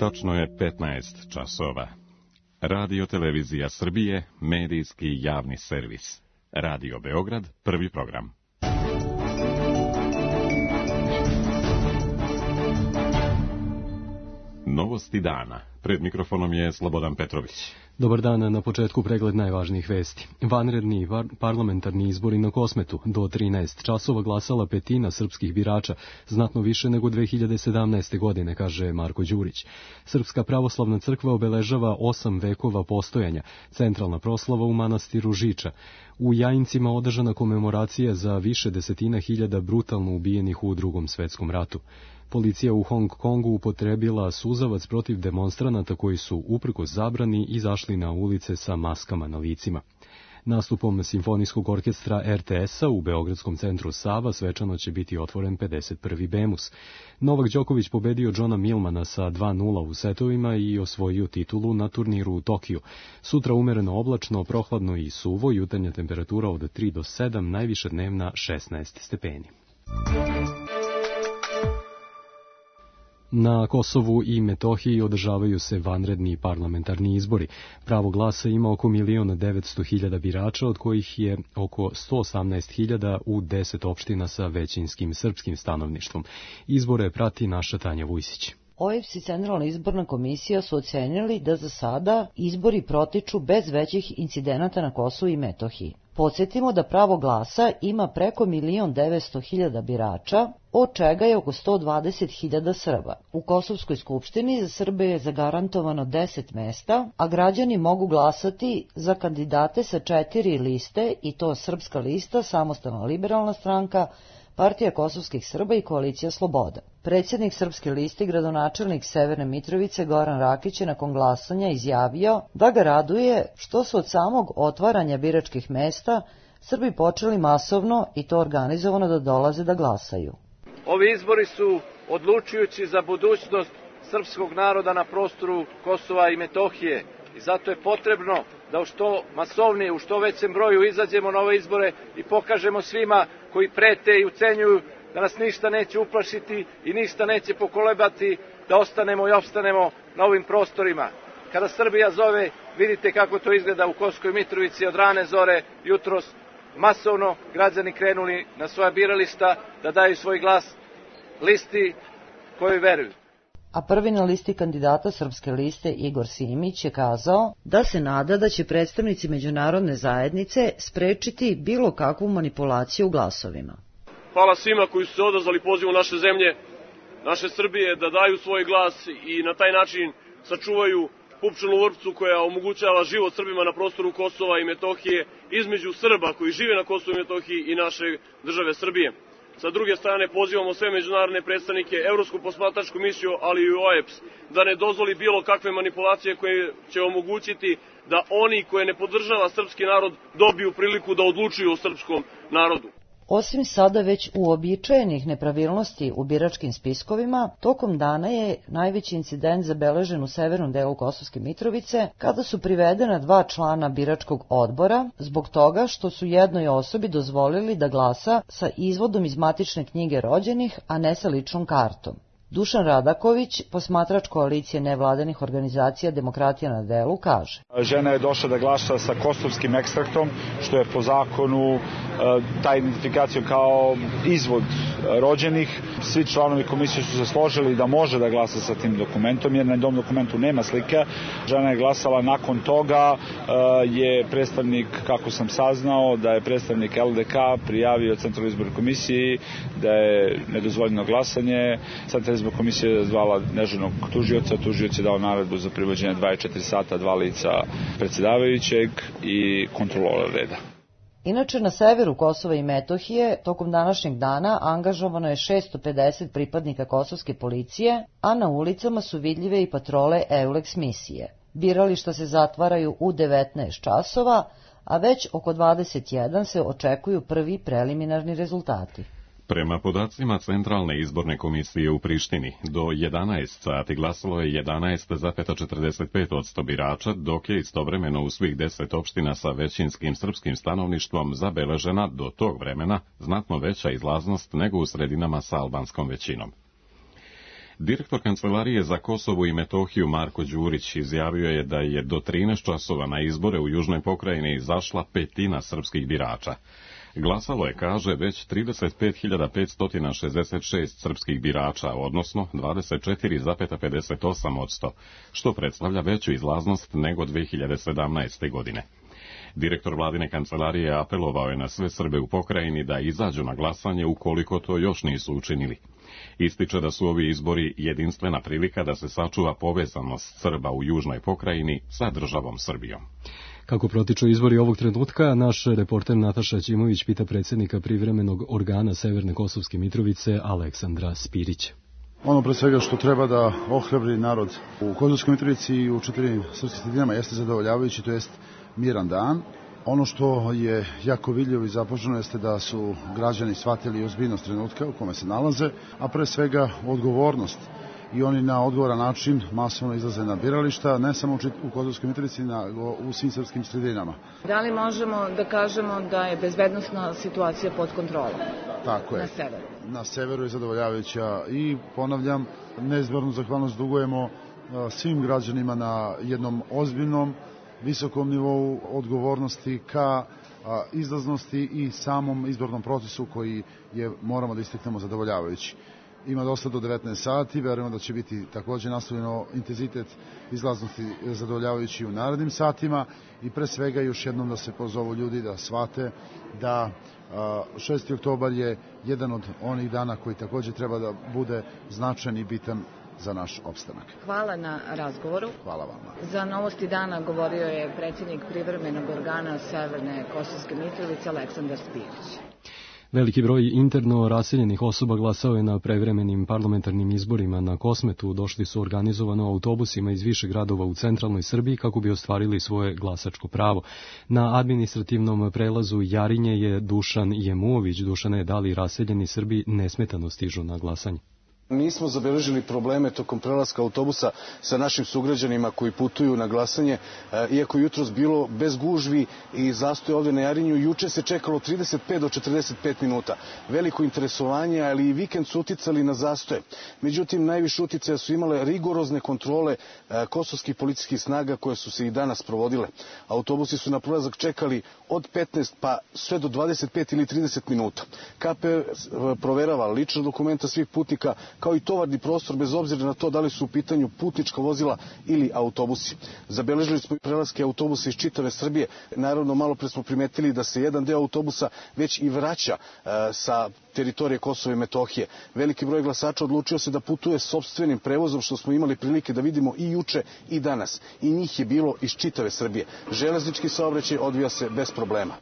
Tačno je 15 časova. Radio Televizija Srbije, medijski javni servis. Radio Beograd, prvi program. Novosti dana. Pred mikrofonom je Slobodan Petrović. Dobar dan, na početku pregled najvažnijih vesti. Vanredni parlamentarni izbori na Kosmetu. Do 13 časova glasala petina srpskih birača, znatno više nego 2017. godine, kaže Marko Đurić. Srpska pravoslavna crkva obeležava 8 vekova postojanja, centralna proslava u manastiru Žiča. U Jajincima održana komemoracija za više desetina hiljada brutalno ubijenih u Drugom svetskom ratu. Policija u Hong Kongu upotrebila suzavac protiv demonstranata koji su, uprkos zabrani, izašli na ulice sa maskama na licima. Nastupom Simfonijskog orkestra RTS-a u Beogradskom centru Sava svečano će biti otvoren 51. Bemus. Novak Đoković pobedio Johna Milmana sa 2:0 u setovima i osvojio titulu na turniru u Tokiju. Sutra umereno oblačno, prohladno i suvo, jutarnja temperatura od 3 do 7, najviša dnevna 16 stepeni. Na Kosovu i Metohiji održavaju se vanredni parlamentarni izbori. Pravo glasa ima oko 1.900.000 birača, od kojih je oko 118.000 u 10 opština sa većinskim srpskim stanovništvom. Izbore prati naša Tanja Vujsić. OEBS i Centralna izborna komisija su ocenili da za sada izbori protiču bez većih incidenata na Kosovu i Metohiji. Podsjetimo da pravo glasa ima preko 1.900.000 birača, od čega je oko 120.000 Srba. U Kosovskoj skupštini za Srbe je zagarantovano 10 mesta, a građani mogu glasati za kandidate sa 4 liste, i to Srpska lista, Samostalna liberalna stranka, Partija kosovskih Srba i Koalicija Sloboda. Predsjednik Srpske liste, gradonačelnik Severne Mitrovice Goran Rakić je nakon glasanja izjavio da ga raduje što su od samog otvaranja biračkih mesta Srbi počeli masovno i to organizovano da dolaze da glasaju. Ovi izbori su odlučujući za budućnost srpskog naroda na prostoru Kosova i Metohije i zato je potrebno da u što masovnije, u što većem broju izađemo na ove izbore i pokažemo svima koji prete i ucenjuju da nas ništa neće uplašiti i ništa neće pokolebati, da ostanemo i opstanemo na ovim prostorima. Kada Srbija zove, vidite kako to izgleda u Kosovskoj Mitrovici od rane zore, jutros masovno građani krenuli na svoja birališta da daju svoj glas listi kojoj veruju. A prvi na listi kandidata Srpske liste Igor Simić je kazao da se nada da će predstavnici međunarodne zajednice sprečiti bilo kakvu manipulaciju u glasovima. Hvala svima koji su se odazvali pozivu naše zemlje, naše Srbije, da daju svoj glas i na taj način sačuvaju pupčanu vrpcu koja omogućava život Srbima na prostoru Kosova i Metohije između Srba koji žive na Kosovu i Metohiji i naše države Srbije. Sa druge strane, pozivamo sve međunarodne predstavnike, Evropsku posmatračku misiju, ali i OEBS, da ne dozvoli bilo kakve manipulacije koje će omogućiti da oni koje ne podržava srpski narod dobiju priliku da odlučuju o srpskom narodu. Osim sada već uobičajenih nepravilnosti u biračkim spiskovima, tokom dana je najveći incident zabeležen u severnom delu Kosovske Mitrovice, kada su privedena 2 člana biračkog odbora zbog toga što su jednoj osobi dozvolili da glasa sa izvodom iz matične knjige rođenih, a ne sa ličnom kartom. Dušan Radaković, posmatrač koalicije nevladanih organizacija Demokratija na delu, kaže: Žena je došla da glasa sa kosovskim ekstraktom, što je po zakonu ta identifikacija kao izvod rođenih. Svi članovi komisije su se složili da može da glasa sa tim dokumentom, jer na tom dokumentu nema slike. Žena je glasala, nakon toga je predstavnik, kako sam saznao, da je predstavnik LDK prijavio Centralnoj izbornoj komisiji da je nedozvoljeno glasanje. Centralna izborna komisija je zvala dežurnog tužioca, tužioc je dao naredbu za privođenje 24 sata, 2 lica predsjedavajućeg i kontrolora reda. Inače, na severu Kosova i Metohije tokom današnjeg dana angažovano je 650 pripadnika kosovske policije, a na ulicama su vidljive i patrole EULEX misije. Birališta se zatvaraju u 19 časova, a već oko 21 se očekuju prvi preliminarni rezultati. Prema podacima Centralne izborne komisije u Prištini, do 11 sati glasalo je 11,45% birača, dok je istovremeno u svih 10 opština sa većinskim srpskim stanovništvom zabeležena do tog vremena znatno veća izlaznost nego u sredinama sa albanskom većinom. Direktor Kancelarije za Kosovo i Metohiju Marko Đurić izjavio je da je do 13 časova na izbore u Južnoj pokrajini izašla petina srpskih birača. Glasalo je, kaže, već 35.566 srpskih birača, odnosno 24,58%, što predstavlja veću izlaznost nego 2017. godine. Direktor vladine kancelarije apelovao je na sve Srbe u pokrajini da izađu na glasanje ukoliko to još nisu učinili. Ističe da su ovi izbori jedinstvena prilika da se sačuva povezanost Srba u Južnoj pokrajini sa državom Srbijom. Kako protiču izbori ovog trenutka, naš reporter Nataša Ćimović pita predsjednika privremenog organa Severne Kosovske Mitrovice Aleksandra Spirića. Ono pre svega što treba da ohrabri narod u Kosovskoj Mitrovici i u 4 srpskim sredinama jeste zadovoljavajući, to jest miran dan. Ono što je jako vidljivo i započeno jeste da su građani shvatili ozbiljnost trenutka u kome se nalaze, a pre svega odgovornost. I oni na odgovoran način masovno izlaze na birališta, ne samo u Kosovskoj Mitrovici, nego u svim srpskim sredinama. Da li možemo da kažemo da je bezbednosna situacija pod kontrolom? Tako je. Na severu? Na severu je zadovoljavajuća i ponavljam, neizmjernu zahvalnost dugujemo svim građanima na jednom ozbiljnom, visokom nivou odgovornosti ka izlaznosti i samom izbornom procesu koji je, moramo da istaknemo, zadovoljavajući. Ima dosta do 19 sati, verujemo da će biti također nastavljeno intenzitet izlaznosti zadovoljavajući u narednim satima i pre svega još jednom da se pozovu ljudi da shvate da 6. oktobar je jedan od onih dana koji također treba da bude značajan i bitan za naš opstanak. Hvala na razgovoru. Hvala vama. Za Novosti dana govorio je predsjednik privremenog organa Severne Kosovske Mitrovice Aleksandar Spirić. Veliki broj interno raseljenih osoba glasao je na prevremenim parlamentarnim izborima na Kosmetu. Došli su organizovano autobusima iz više gradova u centralnoj Srbiji kako bi ostvarili svoje glasačko pravo. Na administrativnom prelazu Jarinje je Dušan Jemuović. Dušane, da li raseljeni Srbi nesmetano stižu na glasanje? Nismo zabeležili probleme tokom prelaska autobusa sa našim sugrađanima koji putuju na glasanje, iako je jutros bilo bez gužvi i zastoja ovdje na Jarinju. Juče se čekalo 35 do 45 minuta. Veliko interesovanje, ali i vikend su uticali na zastoje. Međutim, najviše uticaja su imale rigorozne kontrole kosovskih policijskih snaga koje su se i danas provodile. Autobusi su na prelazak čekali od 15 pa sve do 25 ili 30 minuta. KP proverava lična dokumenta svih putnika, kao i tovarni prostor, bez obzira na to da li su u pitanju putnička vozila ili autobusi. Zabeležili smo prelaske autobusa iz čitave Srbije. Naravno, malo pre smo primetili da se jedan deo autobusa već i vraća sa teritorije Kosova i Metohije. Veliki broj glasača odlučio se da putuje sopstvenim prevozom, što smo imali prilike da vidimo i juče i danas. I njih je bilo iz čitave Srbije. Železnički saobraćaj odvija se bez problema.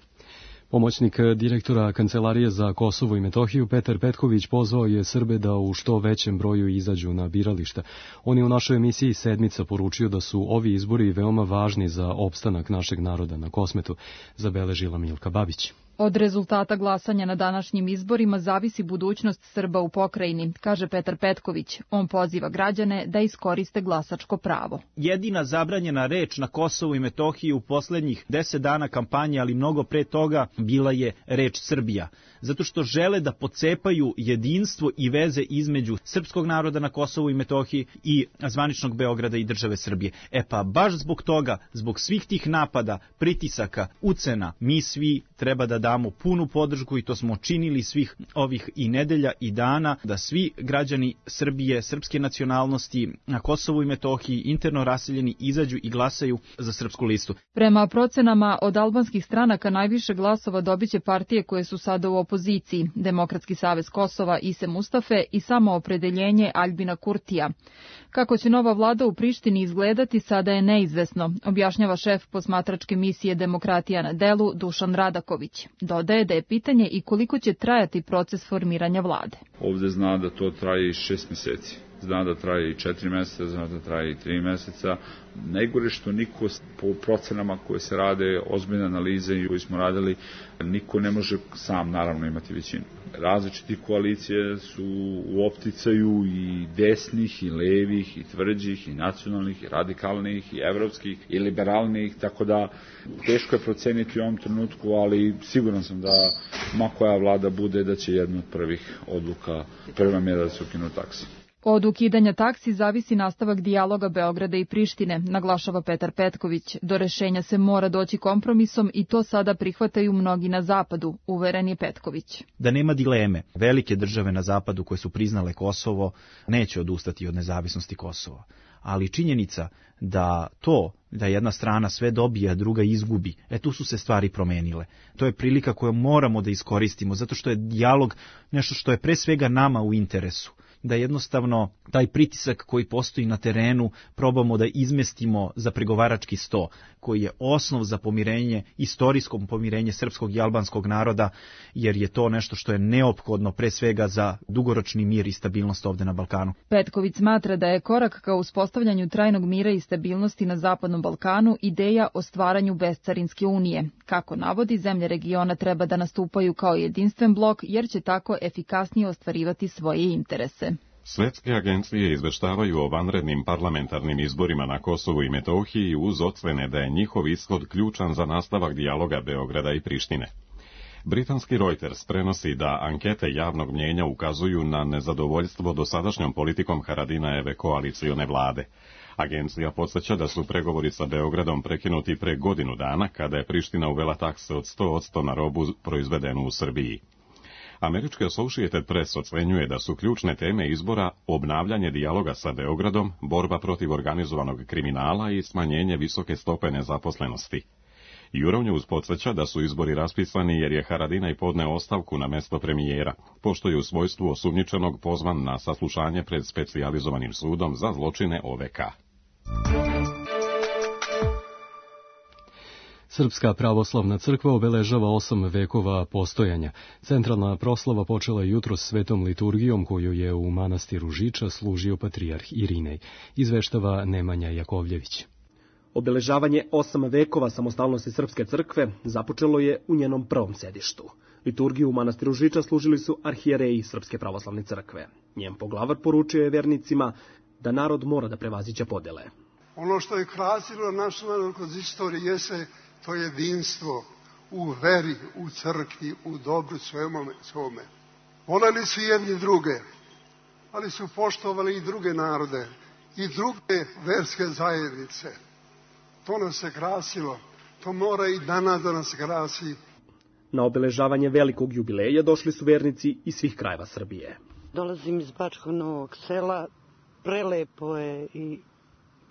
Pomoćnik direktora Kancelarije za Kosovo i Metohiju Petar Petković pozvao je Srbe da u što većem broju izađu na birališta. On je u našoj emisiji Sedmica poručio da su ovi izbori veoma važni za opstanak našeg naroda na Kosmetu, zabeležila Milka Babić. Od rezultata glasanja na današnjim izborima zavisi budućnost Srba u pokrajini, kaže Petar Petković. On poziva građane da iskoriste glasačko pravo. Jedina zabranjena reč na Kosovu i Metohiji u poslednjih 10 dana kampanje, ali mnogo pre toga, bila je reč Srbija. Zato što žele da pocepaju jedinstvo i veze između srpskog naroda na Kosovu i Metohiji i zvaničnog Beograda i države Srbije. Pa baš zbog toga, zbog svih tih napada, pritisaka, ucena, mi svi treba da damo punu podršku, i to smo činili svih ovih i nedelja i dana, da svi građani Srbije, srpske nacionalnosti na Kosovu i Metohiji, interno raseljeni, izađu i glasaju za Srpsku listu. Prema procenama od albanskih stranaka najviše glasova dobiće partije koje su sada u opoziciji: Demokratski savez Kosova Ise Mustafe i Samoopredeljenje Aljbina Kurtija. Kako će nova vlada u Prištini izgledati sada je neizvesno, objašnjava šef posmatračke misije Demokratija na delu Dušan Radaković. Dodaje da je pitanje i koliko će trajati proces formiranja vlade. Ovde zna da to traje i 6 meseci. Zna da traje i 4 meseca, zna da traje i 3 meseca. Najgore što niko po procenama koje se rade, ozbiljne analize i koje smo radili, niko ne može sam naravno imati većinu. Različiti koalicije su u opticaju i desnih, i levih, i tvrđih, i nacionalnih, i radikalnih, i evropskih, i liberalnih, tako da teško je proceniti u ovom trenutku, ali siguran sam da ma koja vlada bude, da će jedna od prvih odluka, prva mjera da se ukinu takse. Od ukidanja taksi zavisi nastavak dijaloga Beograda i Prištine, naglašava Petar Petković. Do rešenja se mora doći kompromisom i to sada prihvataju mnogi na zapadu, uveren je Petković. Da nema dileme, velike države na zapadu koje su priznale Kosovo neće odustati od nezavisnosti Kosova. Ali činjenica da jedna strana sve dobije, a druga izgubi, tu su se stvari promenile. To je prilika koju moramo da iskoristimo, zato što je dijalog nešto što je pre svega nama u interesu. Da jednostavno taj pritisak koji postoji na terenu probamo da izmestimo za pregovarački sto, koji je osnov za pomirenje, istorijsko pomirenje srpskog i albanskog naroda, jer je to nešto što je neophodno pre svega za dugoročni mir i stabilnost ovde na Balkanu. Petković smatra da je korak ka uspostavljanju trajnog mira i stabilnosti na Zapadnom Balkanu ideja o stvaranju bescarinske unije. Kako navodi, zemlje regiona treba da nastupaju kao jedinstven blok, jer će tako efikasnije ostvarivati svoje interese. Svetske agencije izveštavaju o vanrednim parlamentarnim izborima na Kosovu i Metohiji uz ocene da je njihov ishod ključan za nastavak dijaloga Beograda i Prištine. Britanski Reuters prenosi da ankete javnog mnjenja ukazuju na nezadovoljstvo dosadašnjom politikom Haradinajeve koalicione vlade. Agencija podsjeća da su pregovori sa Beogradom prekinuti pre godinu dana, kada je Priština uvela takse od 100% na robu proizvedenu u Srbiji. Američki Associated Press ocenjuje da su ključne teme izbora obnavljanje dijaloga sa Beogradom, borba protiv organizovanog kriminala i smanjenje visoke stope nezaposlenosti. Euronews podsjeća da su izbori raspisani jer je Haradinaj podneo ostavku na mesto premijera, pošto je u svojstvu osumnjičenog pozvan na saslušanje pred specijalizovanim sudom za zločine OVK. Srpska pravoslavna crkva obeležava 8 vekova postojanja. Centralna proslava počela jutros svetom liturgijom koju je u manastiru Žiča služio patrijarh Irinej, izveštava Nemanja Jakovljević. Obeležavanje 8 vekova samostalnosti Srpske crkve započelo je u njenom prvom sedištu. Liturgiju u manastiru Žiča služili su arhijereji Srpske pravoslavne crkve. Njen poglavar poručio je vernicima da narod mora da prevaziđe podele. Ono što je krasilo naš narod kroz istoriju jeste to jedinstvo u veri, u crkvi, u dobru svome. Voleli su jedni druge, ali su poštovali i druge narode i druge verske zajednice. To nas je krasilo, to mora i danas da nas krasi. Na obeležavanje velikog jubileja došli su vernici iz svih krajeva Srbije. Dolazim iz Bačkog Novog Sela, prelepo je i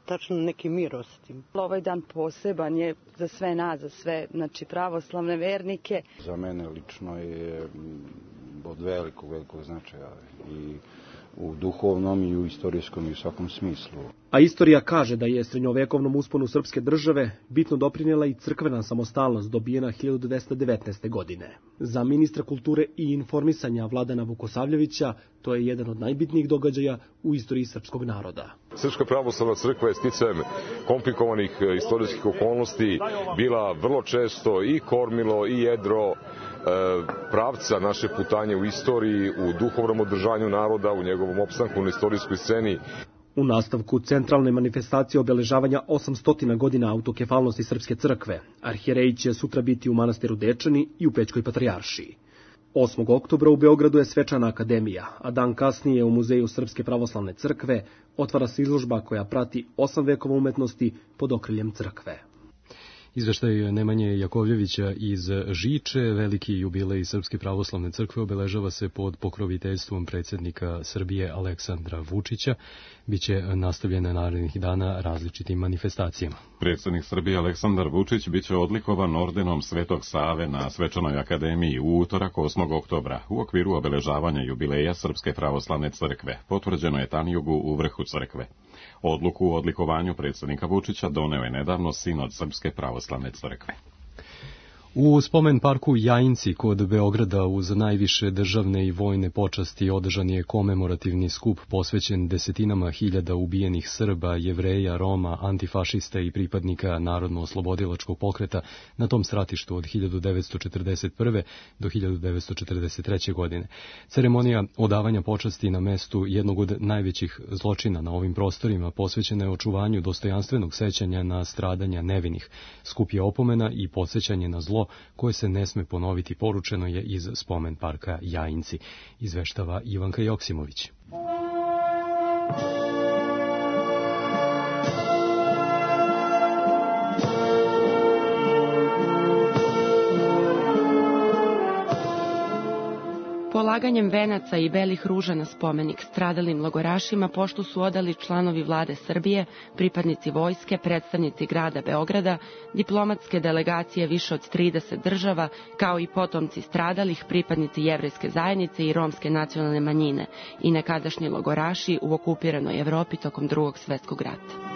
tačno neki mir osjetim. Ovaj dan poseban je za sve nas, za sve pravoslavne vernike. Za mene lično je od velikog značaja i u duhovnom i u istorijskom i u svakom smislu. A istorija kaže da je srednjovekovnom usponu srpske države bitno doprinijela i crkvena samostalnost dobijena 1219. godine. Za ministra kulture i informisanja Vladana Vukosavljevića to je jedan od najbitnijih događaja u istoriji srpskog naroda. Srpska pravoslavna crkva je sticajem komplikovanih istorijskih okolnosti bila vrlo često i kormilo i jedro pravca naše putanje u istoriji, u duhovnom održanju naroda, u njegovom opstanku na istorijskoj sceni. U nastavku centralne manifestacije obeležavanja 800 godina autokefalnosti Srpske crkve, arhijereji će sutra biti u manastiru Dečani i u Pećkoj patrijaršiji. 8. oktobra u Beogradu je svečana akademija, a dan kasnije u Muzeju Srpske pravoslavne crkve otvara se izložba koja prati 8 vekova umetnosti pod okriljem crkve. Izveštaj Nemanje Jakovljevića iz Žiče, veliki jubilej Srpske pravoslavne crkve obeležava se pod pokroviteljstvom predsjednika Srbije Aleksandra Vučića. Biće nastavljene narednih dana različitim manifestacijama. Predsjednik Srbije Aleksandar Vučić biće odlikovan ordenom Svetog Save na Svečanoj akademiji u utorak 8. oktobra u okviru obeležavanja jubileja Srpske pravoslavne crkve. Potvrđeno je Tanjugu u vrhu crkve. Odluku o odlikovanju predsjednika Vučića doneo je nedavno Sinod Srpske pravoslavne crkve. U spomen parku Jajinci kod Beograda uz najviše državne i vojne počasti održan je komemorativni skup posvećen desetinama hiljada ubijenih Srba, Jevreja, Roma, antifašista i pripadnika Narodno-oslobodilačkog pokreta na tom stratištu od 1941. do 1943. godine. Ceremonija odavanja počasti na mestu jednog od najvećih zločina na ovim prostorima posvećena je očuvanju dostojanstvenog sećanja na stradanja nevinih. Skup je opomena i podsjećanje na zlo koje se ne sme ponoviti, poručeno je iz spomen parka Jajinci, izveštava Ivanka Joksimović. Polaganjem venaca i belih ruža na spomenik stradalim logorašima poštu su odali članovi vlade Srbije, pripadnici vojske, predstavnici grada Beograda, diplomatske delegacije više od 30 država, kao i potomci stradalih, pripadnici jevrejske zajednice i romske nacionalne manjine i nekadašnji logoraši u okupiranoj Evropi tokom Drugog svjetskog rata.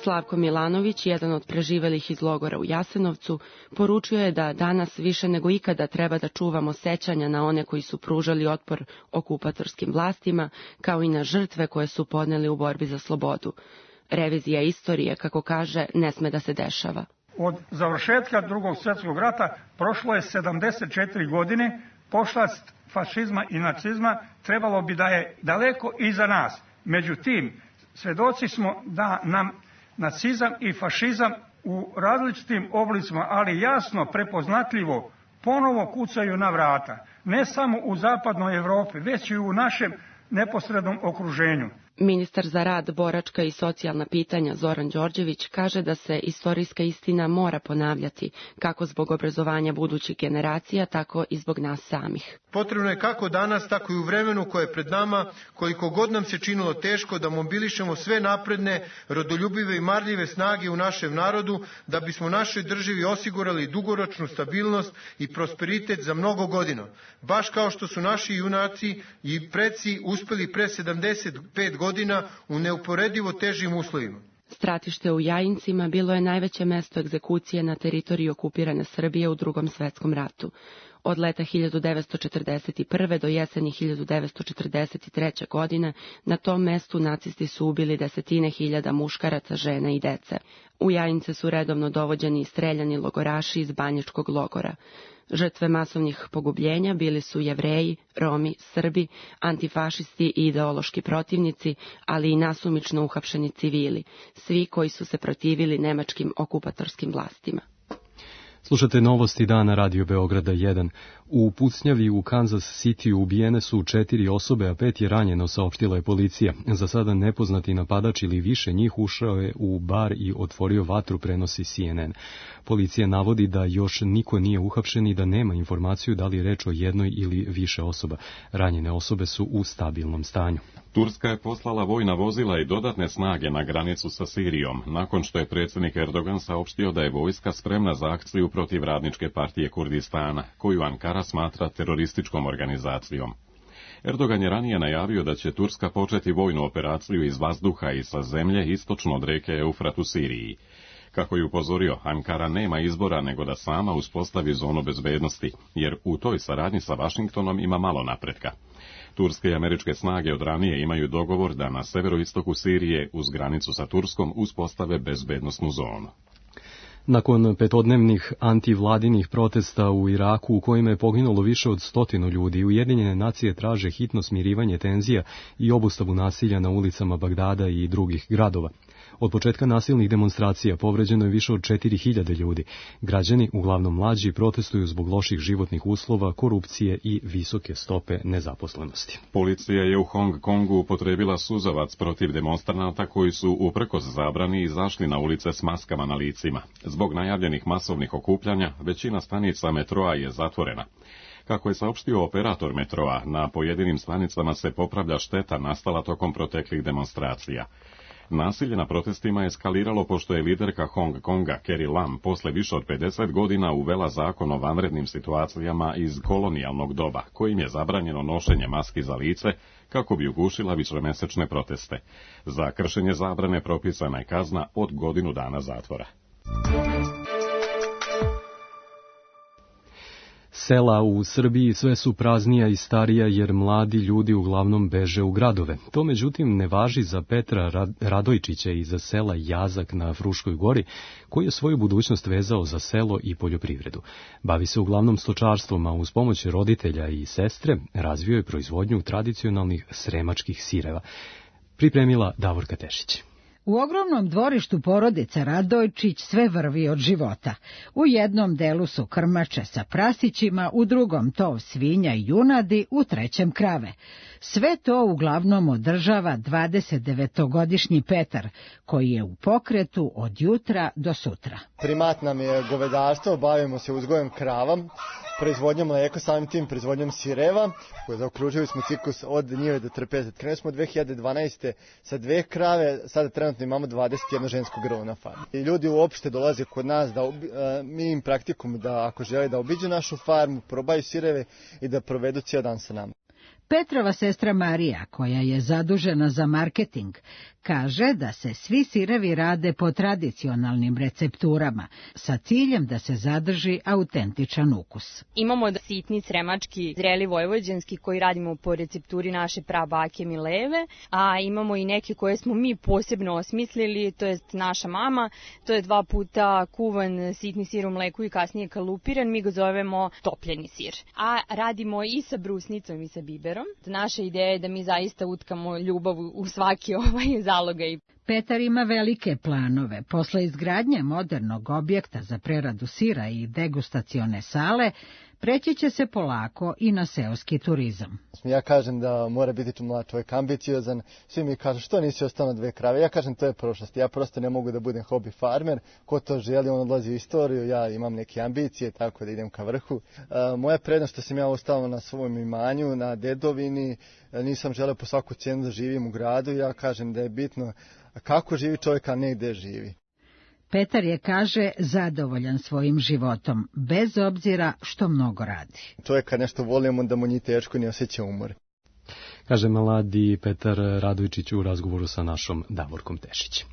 Slavko Milanović, jedan od preživelih iz logora u Jasenovcu, poručio je da danas više nego ikada treba da čuvamo sećanja na one koji su pružali otpor okupatorskim vlastima, kao i na žrtve koje su podneli u borbi za slobodu. Revizija istorije, kako kaže, ne sme da se dešava. Od završetka Drugog svjetskog rata prošlo je 74 godine, pošast fašizma i nacizma trebalo bi da je daleko iza nas. Međutim, svedoci smo da nam nacizam i fašizam u različitim oblicima, ali jasno prepoznatljivo, ponovo kucaju na vrata. Ne samo u zapadnoj Evropi, već i u našem neposrednom okruženju. Ministar za rad, boračka i socijalna pitanja Zoran Đorđević kaže da se istorijska istina mora ponavljati, kako zbog obrazovanja budućih generacija, tako i zbog nas samih. Potrebno je kako danas, tako i u vremenu koje je pred nama, koliko god nam se činilo teško, da mobilišemo sve napredne, rodoljubive i marljive snage u našem narodu, da bismo našoj državi osigurali dugoročnu stabilnost i prosperitet za mnogo godina. Baš kao što su naši junaci i preci uspeli pre 75 godina u neuporedivo težim uslovima. Stratište u Jajincima bilo je najveće mesto egzekucije na teritoriji okupirane Srbije u Drugom svjetskom ratu. Od leta 1941. do jeseni 1943. godine na tom mestu nacisti su ubili desetine hiljada muškaraca, žena i dece. U Jajince su redovno dovođeni i streljani logoraši iz Banjičkog logora. Žrtve masovnih pogubljenja bili su Jevreji, Romi, Srbi, antifašisti i ideološki protivnici, ali i nasumično uhapšeni civili, svi koji su se protivili nemačkim okupatorskim vlastima. Slušate novosti dana Radio Beograda 1. U pucnjavi u Kansas City ubijene su 4 osobe, a 5 je ranjeno, saopštila je policija. Za sada nepoznati napadač ili više njih ušao je u bar i otvorio vatru, prenosi CNN. Policija navodi da još niko nije uhapšen i da nema informaciju da li je reč o jednoj ili više osoba. Ranjene osobe su u stabilnom stanju. Turska je poslala vojna vozila i dodatne snage na granicu sa Sirijom, nakon što je predsjednik Erdogan saopštio da je vojska spremna za akciju protiv Radničke partije Kurdistana, koju Ankara smatra terorističkom organizacijom. Erdogan je ranije najavio da će Turska početi vojnu operaciju iz vazduha i sa zemlje istočno od reke Eufrat u Siriji. Kako je upozorio, Ankara nema izbora nego da sama uspostavi zonu bezbednosti, jer u toj saradnji sa Vašingtonom ima malo napretka. Turske i američke snage od ranije imaju dogovor da na severoistoku Sirije uz granicu sa Turskom uspostave bezbednosnu zonu. Nakon petodnevnih antivladinih protesta u Iraku u kojima je poginulo više od 100 ljudi, Ujedinjene nacije traže hitno smirivanje tenzija i obustavu nasilja na ulicama Bagdada i drugih gradova. Od početka nasilnih demonstracija povređeno je više od 4000 ljudi. Građani, uglavnom mlađi, protestuju zbog loših životnih uslova, korupcije i visoke stope nezaposlenosti. Policija je u Hong Kongu upotrebila suzavac protiv demonstranata koji su uprkos zabrani izašli na ulice s maskama na licima. Zbog najavljenih masovnih okupljanja, većina stanica metroa je zatvorena. Kako je saopštio operator metroa, na pojedinim stanicama se popravlja šteta nastala tokom proteklih demonstracija. Nasilje na protestima je eskaliralo pošto je liderka Hong Konga, Carrie Lam, posle više od 50 godina uvela zakon o vanrednim situacijama iz kolonijalnog doba, kojim je zabranjeno nošenje maski za lice kako bi ugušila višemesečne proteste. Za kršenje zabrane propisana je kazna od 1 godinu zatvora. Sela u Srbiji sve su praznija i starija jer mladi ljudi uglavnom beže u gradove. To međutim ne važi za Petra Radojčića iz sela Jazak na Fruškoj gori, koji je svoju budućnost vezao za selo i poljoprivredu. Bavi se uglavnom stočarstvom, a uz pomoć roditelja i sestre razvio je proizvodnju tradicionalnih sremačkih sireva. Pripremila Davorka Tešić. U ogromnom dvorištu porodice Radojčić sve vrvi od života. U jednom delu su krmače sa prasićima, u drugom tov svinja i junadi, u trećem krave. Sve to uglavnom održava 29-godišnji Petar, koji je u pokretu od jutra do sutra. Primat nam je govedarstvo, bavimo se uzgojem krava, proizvodnjom mleka, samim tim proizvodnjom sireva, koje zaokružili smo ciklus od njive do trpeze. Krenuli smo 2012. sa 2 krave, sada trenutno imamo 21 žensko grlo na farmi. I ljudi uopšte dolaze kod nas, mi im praktikum da ako žele da obiđu našu farmu, probaju sireve i da provedu cijel dan sa nama. Petrova sestra Marija, koja je zadužena za marketing, kaže da se svi sirevi rade po tradicionalnim recepturama, sa ciljem da se zadrži autentičan ukus. Imamo sitni sremački, zreli vojvođanski koji radimo po recepturi naše prabake Mileve, a imamo i neke koje smo mi posebno osmislili, to je naša mama, to je 2 puta kuvan sitni sir u mleku i kasnije kalupiran, mi ga zovemo topljeni sir. A radimo i sa brusnicom i sa biberom. Naša ideja je da mi zaista utkamo ljubav u svaki zalogaj. Petar ima velike planove. Posle izgradnje modernog objekta za preradu sira i degustacione sale, preći će se polako i na seoski turizam. Ja kažem da mora biti mlad čovjek ambiciozan, svi mi kažu što nisi ostao na 2 krave, ja kažem to je prošlost, ja prosto ne mogu da budem hobi farmer, ko to želi on odlazi u istoriju, ja imam neke ambicije tako da idem ka vrhu. Moja prednost što sam ja ostao na svom imanju, na dedovini, nisam želeo po svaku cijenu da živim u gradu, ja kažem da je bitno kako živi čovjek, a ne gde živi. Petar je, kaže, zadovoljan svojim životom, bez obzira što mnogo radi. Čovjek kad nešto volimo, da mu ni teško ni osjeća umor. Kaže mladi Petar Radojčić u razgovoru sa našom Davorkom Tešić.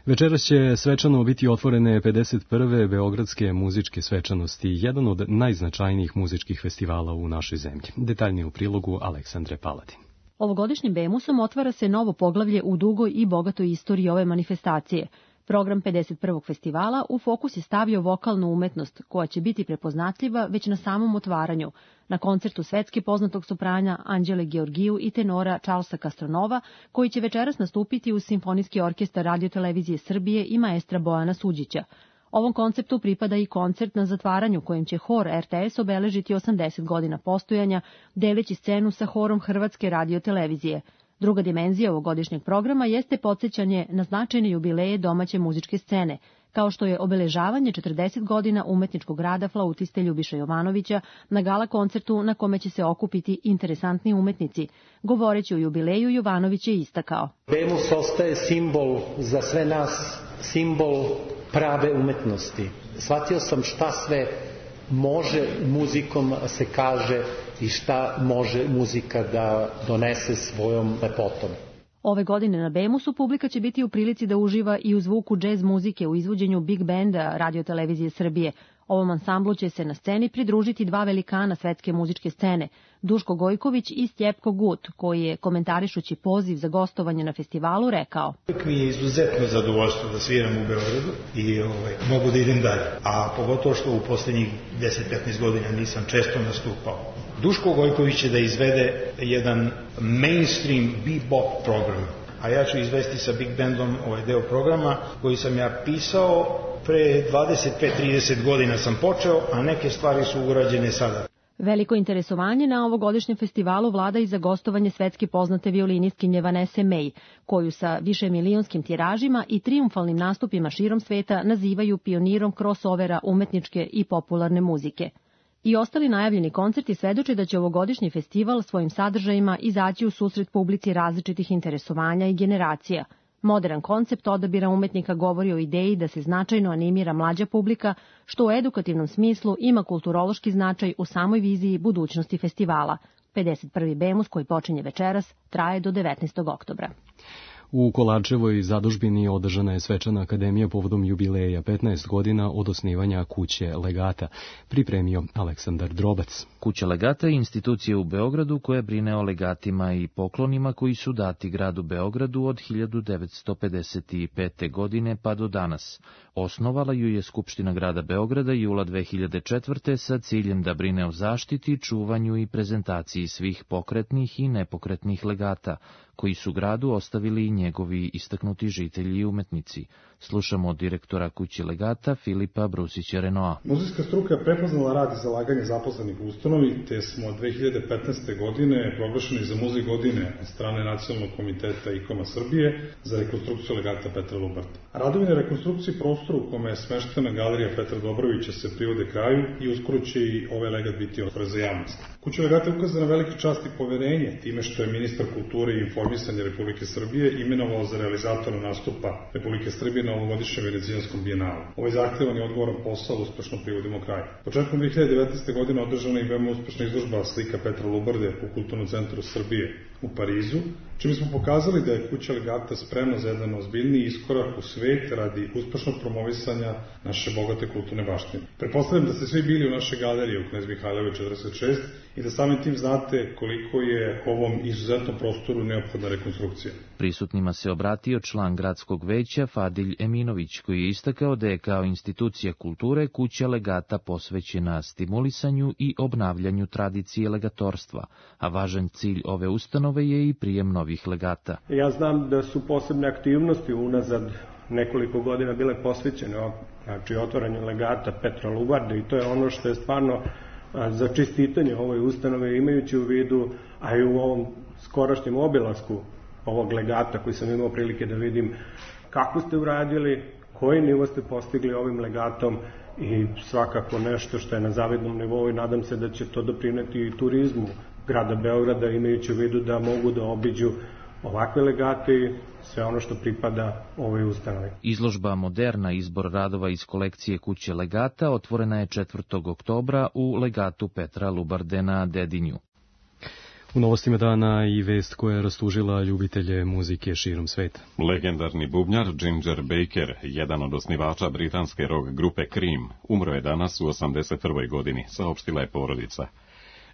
Večeras će svečano biti otvorene 51. Beogradske muzičke svečanosti, jedan od najznačajnijih muzičkih festivala u našoj zemlji. Detaljnije u prilogu Aleksandre Paladin. Ovogodišnjim Bemusom otvara se novo poglavlje u dugoj i bogatoj istoriji ove manifestacije. Program 51. festivala u fokus je stavio vokalnu umetnost, koja će biti prepoznatljiva već na samom otvaranju, na koncertu svetski poznatog soprana Anđele Georgiju i tenora Charlesa Castronova, koji će večeras nastupiti uz Simfonijski orkestar Radio-televizije Srbije i maestra Bojana Suđića. Ovom konceptu pripada i koncert na zatvaranju kojim će hor RTS obeležiti 80 godina postojanja, deleći scenu sa horom Hrvatske Radio-televizije. Druga dimenzija ovogodišnjeg programa jeste podsjećanje na značajne jubileje domaće muzičke scene, kao što je obeležavanje 40 godina umetničkog rada flautiste Ljubiša Jovanovića na gala koncertu na kome će se okupiti interesantni umetnici. Govoreći o jubileju, Jovanović je istakao: Bemus ostaje simbol za sve nas, simbol prave umetnosti. Shvatio sam šta sve može muzikom se kaže i šta može muzika da donese svojom lepotom. Ove godine na Bemusu publika će biti u prilici da uživa i u zvuku džez muzike u izvođenju Big Banda Radio-televizije Srbije. Ovom ansamblu će se na sceni pridružiti 2 velikana svetske muzičke scene, Duško Gojković i Stjepko Gut, koji je, komentarišući poziv za gostovanje na festivalu, rekao: Mi je izuzetno zadovoljstvo da sviram u Beogradu i mogu da idem dalje, a pogotovo što u posljednjih 10-15 godina nisam često nastupao. Duško Gojković će da izvede jedan mainstream bebop program, a ja ću izvesti sa Big Bandom ovaj deo programa koji sam ja pisao pre 25-30 godina sam počeo, a neke stvari su urađene sada. Veliko interesovanje na ovogodišnjem festivalu vlada i za gostovanje svetski poznate violinistkinje Vanesse May, koju sa višemilijonskim tiražima i trijumfalnim nastupima širom sveta nazivaju pionirom crossovera umetničke i popularne muzike. I ostali najavljeni koncerti svedoče da će ovogodišnji festival svojim sadržajima izaći u susret publici različitih interesovanja i generacija. Modern koncept odabira umetnika govori o ideji da se značajno animira mlađa publika, što u edukativnom smislu ima kulturološki značaj u samoj viziji budućnosti festivala. 51. Bemus, koji počinje večeras, traje do 19. oktobra. U Kolarčevoj zadužbini održana je svečana akademija povodom jubileja 15 godina od osnivanja Kuće legata, pripremio Aleksandar Drobac. Kuća legata je institucija u Beogradu koja brine o legatima i poklonima koji su dati gradu Beogradu od 1955. godine pa do danas. Osnovala ju je Skupština grada Beograda jula 2004. sa ciljem da brine o zaštiti, čuvanju i prezentaciji svih pokretnih i nepokretnih legata, koji su gradu ostavili njegovi istaknuti žitelji i umetnici. Slušamo od direktora kuće legata Filipa Brusića-Renoa. Muzejska struka je prepoznala rad i zalaganje zaposlenih u ustanovi, te smo 2015. godine proglašeni za muzej godine od strane Nacionalnog komiteta IKOM-a Srbije za rekonstrukciju legata Petra Lubarde. Radovi na rekonstrukciji prostora u kome je smeštena galerija Petra Dobrovića se privode kraju i uskoro će i ovaj legat biti otvoren za javnost. Kuća legata je ukazana veliki čast i poverenje time što je ministar kulture i informisanja Republike Srbije imenovao za realizatora nastupa Republike Srbije na ovogodišnjem Venecijanskom bijenalu. Ovaj zahtevan i odgovoran posao uspešno privodimo kraju. Početkom 2019. godine održana je veoma uspešna izložba slika Petra Lubarde u Kulturnom centru Srbije u Parizu, čime smo pokazali da je kuća legata spremna za jedan ozbiljniji iskorak u svet radi uspešnog promovisanja naše bogate kulturne baštine. Pretpostavljam da ste svi bili u našoj galeriji u Knez Mihajlove 46 i da samim tim znate koliko je ovom izuzetnom prostoru neophodna rekonstrukcija. Prisutnima se obratio član gradskog veća Fadilj Eminović, koji je istakao da je kao institucija kulture kuća legata posvećena stimulisanju i obnavljanju tradicije legatorstva, a važan cilj ove ustanove je i prijem novih legata. Ja znam da su posebne aktivnosti unazad nekoliko godina bile posvećene otvaranju legata Petra Lubarde i to je ono što je stvarno za čestitanje ovoj ustanove, imajući u vidu, a i u ovom skorašnjem obilasku ovog legata koji sam imao prilike da vidim kako ste uradili, koji nivo ste postigli ovim legatom i svakako nešto što je na zavidnom nivou i nadam se da će to doprineti i turizmu grada Beograda, imajući u vidu da mogu da obiđu ovakve legate i sve ono što pripada ovoj ustanovi. Izložba Moderna, izbor radova iz kolekcije kuće legata, otvorena je 4. oktobra u legatu Petra Lubarde na Dedinju. U novostima dana i vest koja je rastužila ljubitelje muzike širom sveta. Legendarni bubnjar Ginger Baker, jedan od osnivača britanske rock grupe Cream, umro je danas u 81. godini, saopštila je porodica.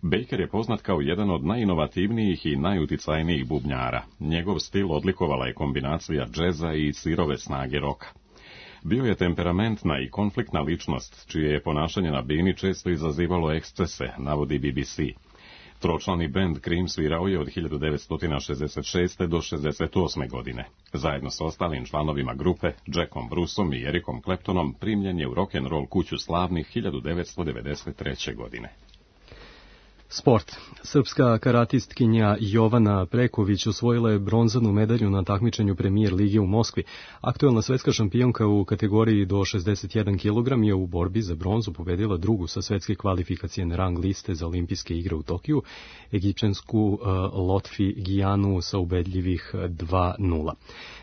Baker je poznat kao jedan od najinovativnijih i najuticajnijih bubnjara. Njegov stil odlikovala je kombinacija džeza i sirove snage roka. Bio je temperamentna i konfliktna ličnost, čije je ponašanje na bini često izazivalo ekscese, navodi BBC. Tročlani bend Cream svirao je od 1966. do 68. godine. Zajedno sa ostalim članovima grupe, Jackom Bruceom i Ericom Claptonom, primljen je u rock'n'roll kuću slavnih 1993. godine. Sport. Srpska karatistkinja Jovana Preković osvojila je bronzanu medalju na takmičenju Premijer lige u Moskvi. Aktuelna svetska šampionka u kategoriji do 61 kg je u borbi za bronzu pobedila drugu sa svetske kvalifikacijene rang liste za olimpijske igre u Tokiju, egipćansku Lotfi Gijanu sa ubedljivih 2:0.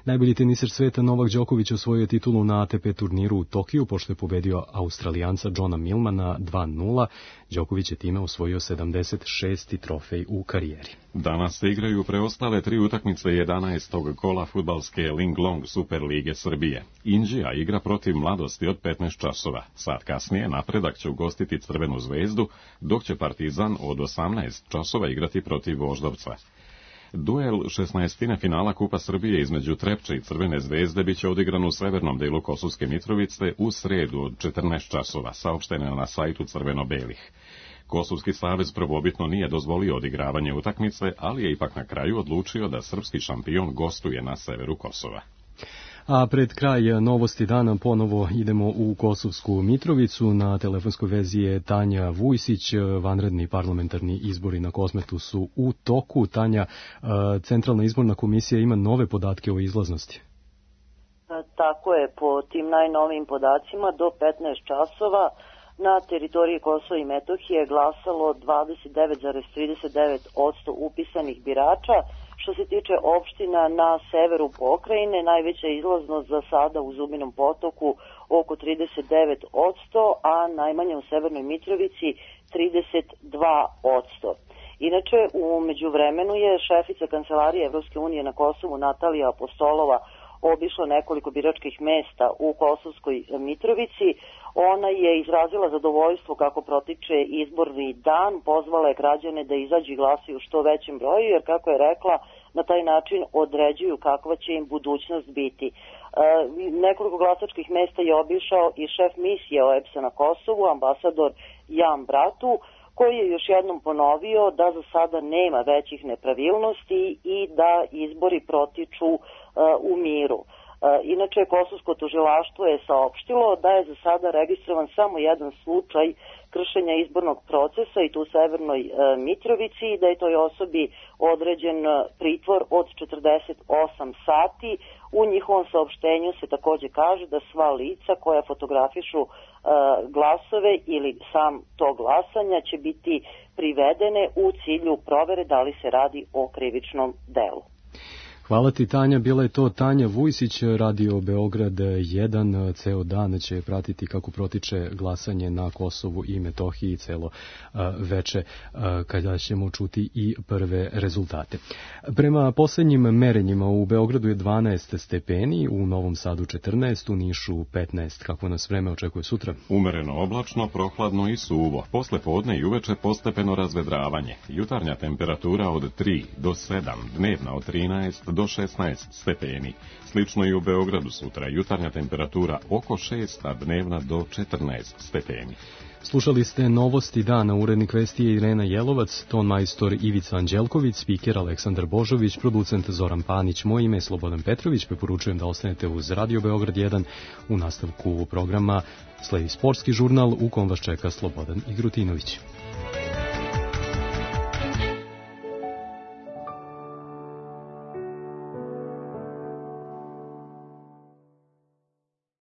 Najbolji teniser sveta Novak Đoković osvojio titulu na ATP turniru u Tokiju, pošto je pobedio Australijanca Johna Millmana 2:0. Đoković je time osvojio 76. trofej u karijeri. Danas se igraju preostale 3 utakmice 11. kola fudbalske Linglong Super lige Srbije. Inđija igra protiv Mladosti od 15 časova. Sat kasnije Napredak će ugostiti Crvenu zvezdu, dok će Partizan od 18 časova igrati protiv Voždovca. Duel 16. finala Kupa Srbije između Trepče i Crvene zvezde biće odigran u severnom delu Kosovske Mitrovice u sredu od 14 časova, saopšteno na sajtu Crveno-belih. Kosovski savez prvobitno nije dozvolio odigravanje utakmice, ali je ipak na kraju odlučio da srpski šampion gostuje na severu Kosova. A pred kraj novosti dana ponovo idemo u Kosovsku Mitrovicu. Na telefonskoj vezi je Tanja Vujsić. Vanredni parlamentarni izbori na Kosmetu su u toku. Tanja, Centralna izborna komisija ima nove podatke o izlaznosti. Tako je, po tim najnovijim podacima do 15 časova na teritoriji Kosova i Metohije glasalo 29,39% upisanih birača. Što se tiče opština na severu pokrajine, najveća izlaznost za sada u Zubinom Potoku oko 39%, a najmanje u Severnoj Mitrovici 32%. Inače, u međuvremenu je šefica Kancelarije Evropske unije na Kosovu Natalija Apostolova obišla nekoliko biračkih mesta u Kosovskoj Mitrovici. Ona je izrazila zadovoljstvo kako protiče izborni dan, pozvala je građane da izađu i glasuju što većem broju, jer kako je rekla, na taj način određuju kakva će im budućnost biti. Nekoliko glasačkih mesta je obišao i šef misije OEBS-a na Kosovu, ambasador Jan Bratu, koji je još jednom ponovio da za sada nema većih nepravilnosti i da izbori protiču u miru. Inače, Kosovsko tužilaštvo je saopštilo da je za sada registrovan samo jedan slučaj kršenja izbornog procesa i tu u Severnoj Mitrovici i da je toj osobi određen pritvor od 48 sati. U njihovom saopštenju se takođe kaže da sva lica koja fotografišu glasove ili sam to glasanja će biti privedene u cilju provere da li se radi o krivičnom delu. Hvala ti, Tanja. Bila je to Tanja Vujsić, Radio Beograd 1. Ceo dan će pratiti kako protiče glasanje na Kosovu i Metohiji celo veče, kada ćemo čuti i prve rezultate. Prema poslednjim merenjima u Beogradu je 12 stepeni, u Novom Sadu 14, u Nišu 15. Kako nas vreme očekuje sutra? Umereno oblačno, prohladno i suvo. Posle podne i uveče postepeno razvedravanje. Jutarnja temperatura od 3 do 7, dnevna od 13 do 16 stepeni. Slično i u Beogradu sutra. Jutarnja temperatura oko 6, a dnevna do 14 stepeni. Slušali ste Novosti dana, urednik vesti je Irena Jelovac, ton majstor Ivica Anđelković, spiker Aleksandar Božović, producent Zoran Panić, moje ime je Slobodan Petrović, preporučujem da ostanete uz Radio Beograd 1. U nastavku programa sledi sportski žurnal u kom vas čeka Slobodan Igrutinović.